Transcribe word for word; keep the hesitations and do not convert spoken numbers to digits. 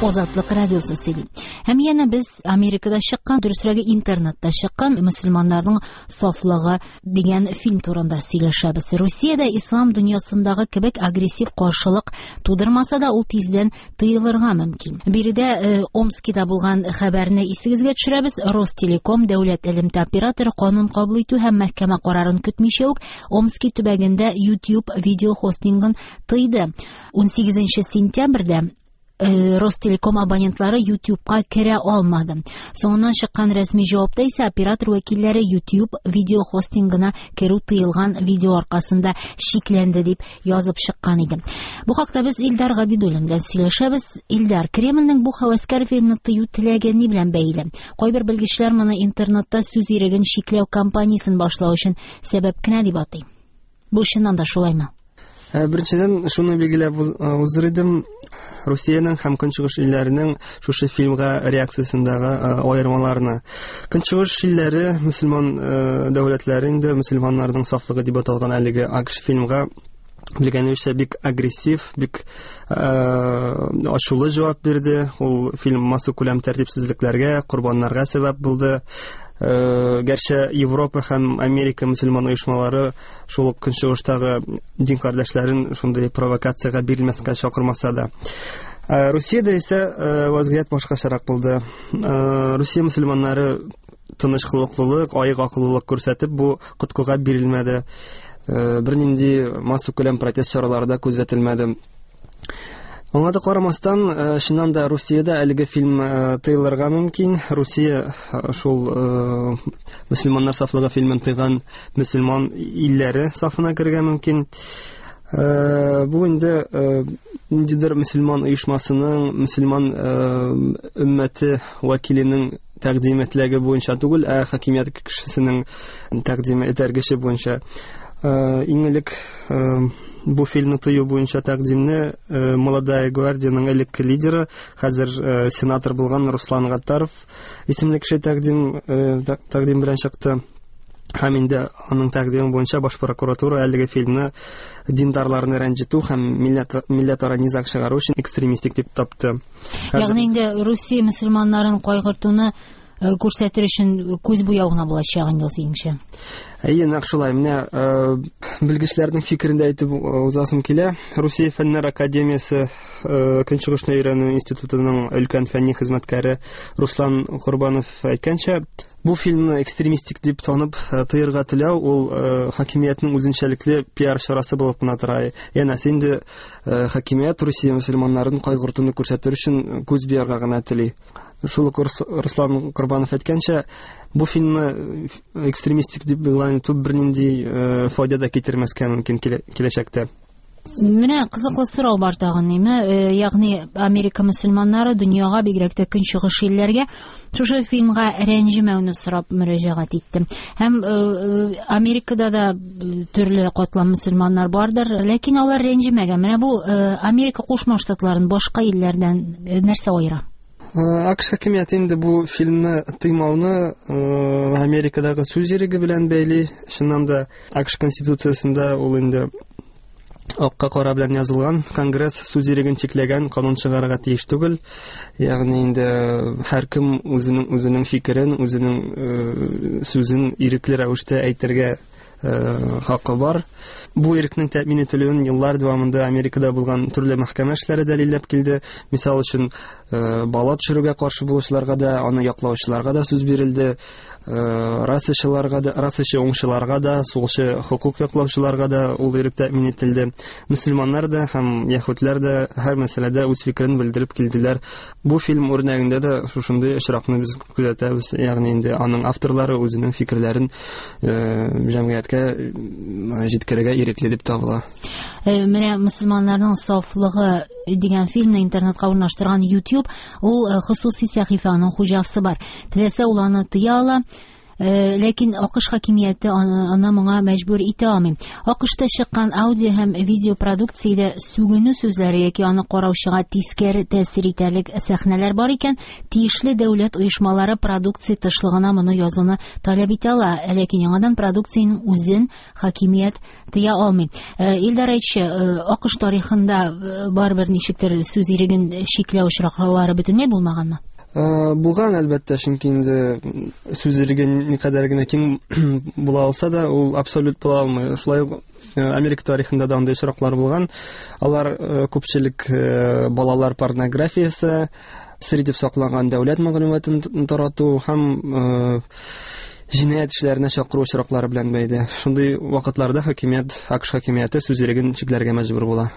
Азатлык радиосы сөйли. Һәм янә без Америкада чыккан, дөресрәге интернетта чыккан мөселманнарның сафлыгы дигән фильм турында сөйләшәбез. Русиядә ислам дөньясындагы кебек агрессив каршылык тудырмаса да, ул тиздән тыелырга мөмкин. Биредә э, Омскида булган хәбәрне исегезгә төшерәбез. Ростелеком дәүләт элемтә операторы канун кабул итү һәм мәхкәмә карарын көтмичә үк Омски төбәгендә YouTube видео хостингын тыйды. унсигезенче сентябрьдә э, Ростелеком абонентлары YouTube'ка керә алмады. Соңыннан чыккан рәсми җавапта исә оператор вәкилләре YouTube видео хостингына керү тыелган видео аркасында шикләнде дип язып чыккан иде. Бу хакта без Илдар Габидуллин белән сөйләшәбез. Илдар, Кремльнең бу һәвәскәр фильмны тыю теләге ни белән бәйле? Кайбер белгечләр моны интернетта сүз иреген чикләү кампаниясен башлау өчен сәбәп кенә дип атый. Бу чыннан да шулаймы? Ә, Беренчедән, шуны билгеләп узыр идем. Русиянең һәм Көнчыгыш илләренең шушы фильмга реакциясендәге аермаларны. Көнчыгыш илләре, мөселман дәүләтләре инде мөселманнарның сафлыгы дип аталган әлеге АКШ фильмга белгәнебезчә бик агрессив, бик ачулы җавап бирде. Ул фильм массакүләм тәртипсезлекләргә, корбаннарга сәбәп булды. Гәрчә Европа һәм Америка мөселман оешмалары шул ук көнчыгыштагы дин кардәшләрен шундый провокациягә бирелмәскә чакырмаса да. Русиядә исә вазгыять башкачарак булды. Русия мөселманнары тыныч холыклылык, аек акыллылык күрсәтеп бу коткыга бирелмәде. Бернинди массакүләм протест чаралары да күзәтелмәде. Аңа да карамастан, чыннан да Русиядә әлеге фильм тыелырга мөмкин. Русия шул мөселманнар сафлыгы фильмын тыйган мөселман илләре сафына керергә мөмкин. Бу инде ниндидер мөселман оешмасының, мөселман өммәте вәкиленең тәкъдиме теләге буенча түгел, ә хакимият кешесенең тәкъдиме этәргече буенча. Иң элек бу фильмны тыю буенча тәкъдимне Молодая гвардияның элекке лидеры, хәзер сенатор булган Руслан Гаттаров исемле кеше тәкъдим тәкъдим белән чыкты. Һәм инде аның тәкъдиме буенча баш прокуратура әлеге фильмны диндарларны рәнҗетү һәм милләт милләтара низаг чыгару өчен экстремистик дип тапты. Ягъни инде Русия мөселманнарын кайгыртуны күрсәтер өчен күз буяу гына булачак инде ул синеңчә. Әйе, нәкъ шулай. Менә белгечләрнең фикерен дә әйтеп узасым килә. Русия Фәннәр академиясе Көнчыгышны өйрәнү институтының өлкән фәнни хезмәткәре Руслан Корбанов әйткәнчә, бу фильмны экстремистик дип танып тыярга теләү ул хакимиятнең үзенчәлекле пиар чарасы булып кына тора. Янәсе инде хакимият Русия мөселманнарын кайгыртуны күрсәтер өчен күз буярга гына тели. Шул ук Руслан Корбанов әйткәнчә, бу фильмны экстремистик дип игълан итү бернинди файда да китермәскә мөмкин киләчәктә. Менә кызыклы сорау бар тагын, ниме? Ягъни Америка мөселманнары дөньяга, бигрәк тә көнчыгыш илләргә шушы фильмга рәнҗемәүне сорап мөрәҗәгать итте. Һәм Америкада да төрле катлам мөселманнар бардыр, ләкин алар рәнҗемәгән. Менә бу Америка Кушма Штатларын башка илләрдән нәрсә аера? АКШ хакимияте инде бу фильмны тыймауны Америкадагы сүз иреге белән бәйли. Чыннан да АКШ конституциясендә ул инде акка кара белән язылган, Конгресс сүз иреген чикләгән канун чыгарырга тиеш түгел. Ягъни инде һәркем үзенең үзенең фикерен, үзенең сүзен ирекле рәвештә әйтергә хакы бар. Бу ирекнең тәэмин ителүен еллар дәвамында Америкада булган төрле мәхкәмә эшләре дәлилләп килде. Мисал өчен, бала төшерүгә каршы булучыларга да, аны яклаучыларга да сүз бирелде, расачыларга да, расачы уңчыларга да, сулчы хокук яклаучыларга да ул ирек тәэмин ителде. Мөселманнар да һәм яһүдләр дә һәр мәсьәләдә үз фикерен белдереп килделәр. Бу фильм үрнәгендә дә шушындый очракны без күзәтәбез. Ягъни инде аның авторлары үзенең фикерләрен җәмгыятькә җиткерергә ирекле дип табыла. Менә мөселманнарның сафлыгы дигән фильмны интернетка урнаштырган YouTube, ул хосуси сәхифәнең хуҗасы бар. Теләсә ул аны тыя ала. Ләкин АКШ хакимияте аны моңа мәҗбүр итә алмый. АКШта чыккан аудио һәм видео продукциядә сүгенү сүзләре яки аны караучыга тискәре тәэсир итәрлек сәхнәләр бар икән, тиешле дәүләт оешмалары продукция тышлыгына моны язуны таләп итә ала, ләкин яңадан продукциянең үзен хакимият тыя алмый. Илдар, әйтче, АКШ тарихында барыбер ничектер сүз иреген чикләү очраклары бөтенләй булмаганмы? Булган, әлбәттә, чөнки инде сүз иреге никадәр генә киң була алса да, ул абсолют була алмый. Шулай ук Америка тарихында да андый очраклар булган. Алар күпчелек балалар порнографиясе, сер итеп сакланган дәүләт мәгълүматын тарату һәм җинаять эшләренә чакыру очраклары белән бәйле. Шундый вакытларда хакимият, АКШ хакимияте сүз иреген чикләргә мәҗбүр була.